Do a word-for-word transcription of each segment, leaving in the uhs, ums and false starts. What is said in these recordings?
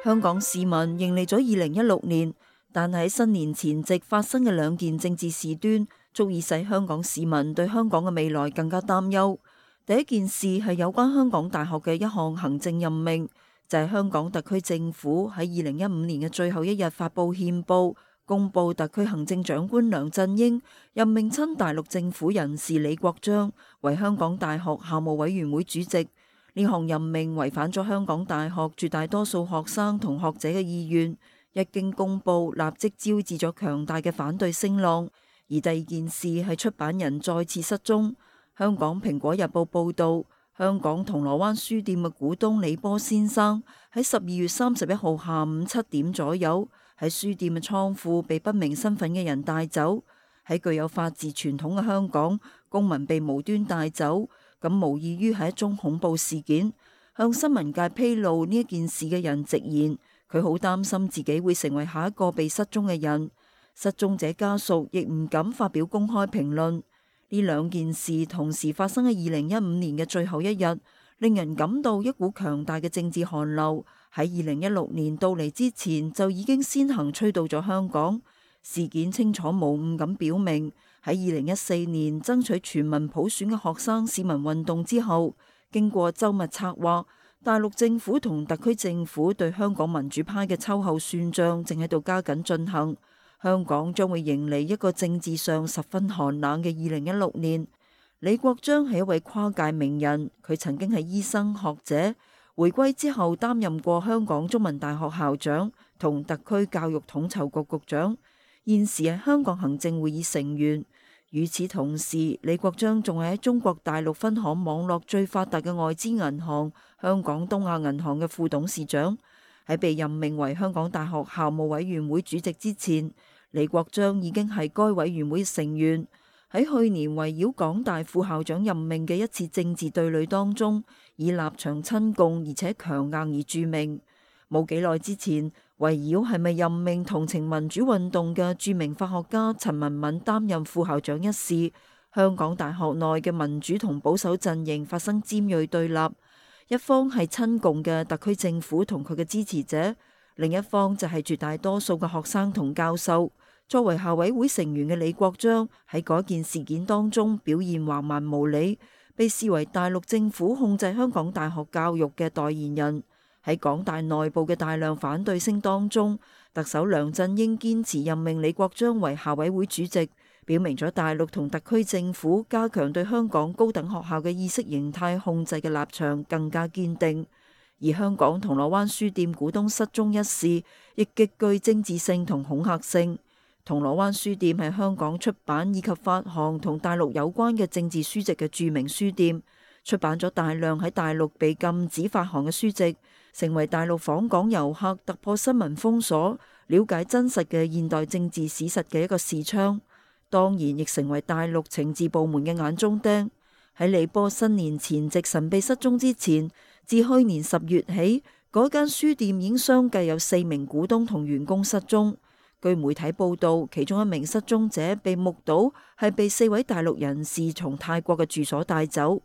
香港市民迎嚟咗二零一六年，但喺新年前夕發生嘅兩件政治事端，足以使香港市民對香港嘅未來更加擔憂。第一件事係有關香港大學嘅一項行政任命，就係香港特區政府喺二零一五年嘅最後一日發佈憲報，公布特區行政長官梁振英任命親大陸政府人士李國章為香港大學校務委員會主席。呢項任命違反咗香港大學絕大多數學生同學者嘅意願，一經公布，立即招致咗強大嘅反對聲浪。而第二件事係出版人再次失蹤。香港蘋果日報報道，香港銅鑼灣書店嘅股東李波先生喺十二月三十一號下午七點左右喺書店嘅倉庫被不明身份嘅人帶走。喺具有法治傳統嘅香港，公民被無端帶走，咁無異於係一宗恐怖事件。向新聞界披露呢一件事嘅人直言，佢好擔心自己會成為下一個被失蹤嘅人。失蹤者家屬亦唔敢發表公開評論。呢兩件事同時發生喺二零一五年嘅最後一日，令人感到一股強大嘅政治寒流喺二零一六年到嚟之前就已經先行吹到咗香港。事件清楚無誤咁表明，喺二零一四年爭取全民普選嘅學生市民運動之後，經過周密策劃，大陸政府同特區政府對香港民主派嘅秋後算賬正喺度加緊進行。香港將會迎嚟一個政治上十分寒冷嘅二零一六年。李國章係一位跨界名人，佢曾經係醫生學者，回歸之後擔任過香港中文大學校長同特區教育統籌局局長，現時係香港行政會議成員。與此同時，李國章仲係喺中國大陸分行網絡最發達嘅外資銀行香港東亞銀行嘅副董事長。喺被任命為香港大學校務委員會主席之前，李國章已經係該委員會成員。喺去年圍繞港大副校長任命嘅一次政治對壘當中，以立場親共而且強硬而著名。冇幾耐之前，圍繞係咪任命同情民主運動嘅著名法學家陳文敏擔任副校長一事，香港大學內嘅民主同保守陣營發生尖銳對立。一方係親共嘅特區政府同佢嘅支持者，另一方就係絕大多數嘅學生同教授。作為校委會成員嘅李國章喺嗰件事件當中表現橫蠻無理，被視為大陸政府控制香港大學教育嘅代言人。喺港大內部嘅大量反對聲當中，特首梁振英堅持任命李國章為校委會主席，表明咗大陸同特區政府加強對香港高等學校嘅意識形態控制嘅立場更加堅定。而香港銅鑼灣書店股東失蹤一事亦極具政治性同恐嚇性。銅鑼灣書店係香港出版以及發行同大陸有關嘅政治書籍嘅著名書店，出版咗大量喺大陸被禁止發行嘅書籍，成為大陸訪港遊客突破新聞封鎖，了解真實嘅現代政治史實嘅一個視窗。當然亦成為大陸情治部門嘅眼中釘。喺李波新年前夕神秘失蹤之前，自去年十月起，嗰間書店已經相繼有四名股東同員工失蹤。據媒體報道，其中一名失蹤者被目睹係被四位大陸人士從泰國嘅住所帶走。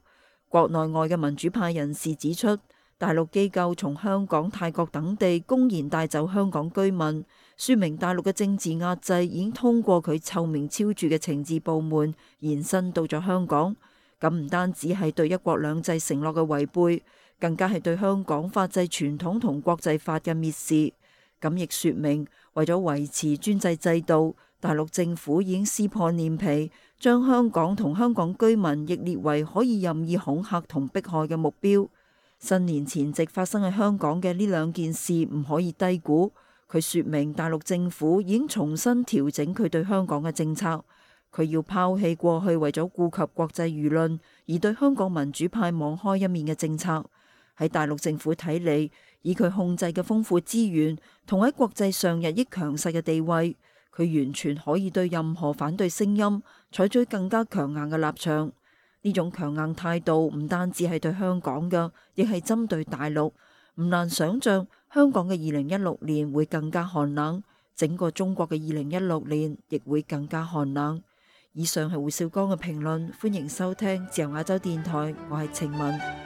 國內外嘅民主派人士指出，大陸機構從香港、泰國等地公然帶走香港居民，說明大陸嘅政治壓制已經通過佢臭名昭著嘅情治部門延伸到咗香港。咁唔單止係對一國兩制承諾嘅違背，更加係對香港法制傳統同國際法嘅蔑視。咁亦說明，為咗維持專制制度，大陸政府已經撕破臉皮，將香港同香港居民亦列為可以任意恐嚇同迫害嘅目標。新年前夕發生喺香港嘅呢兩件事唔可以低估，佢說明大陸政府已經重新調整佢對香港嘅政策，佢要拋棄過去為咗顧及國際輿論而對香港民主派網開一面嘅政策。喺大陸政府睇嚟，以佢控制嘅豐富資源同喺國際上日益強勢嘅地位，佢完全可以對任何反對聲音採取更加強硬嘅立場。呢種強硬態度唔單止係對香港嘅，亦係針對大陸。唔難想象，香港嘅二零一六年會更加寒冷，整個中國嘅二零一六年亦會更加寒冷。以上係胡少江嘅評論，歡迎收聽自由亞洲電台，我係晴雯。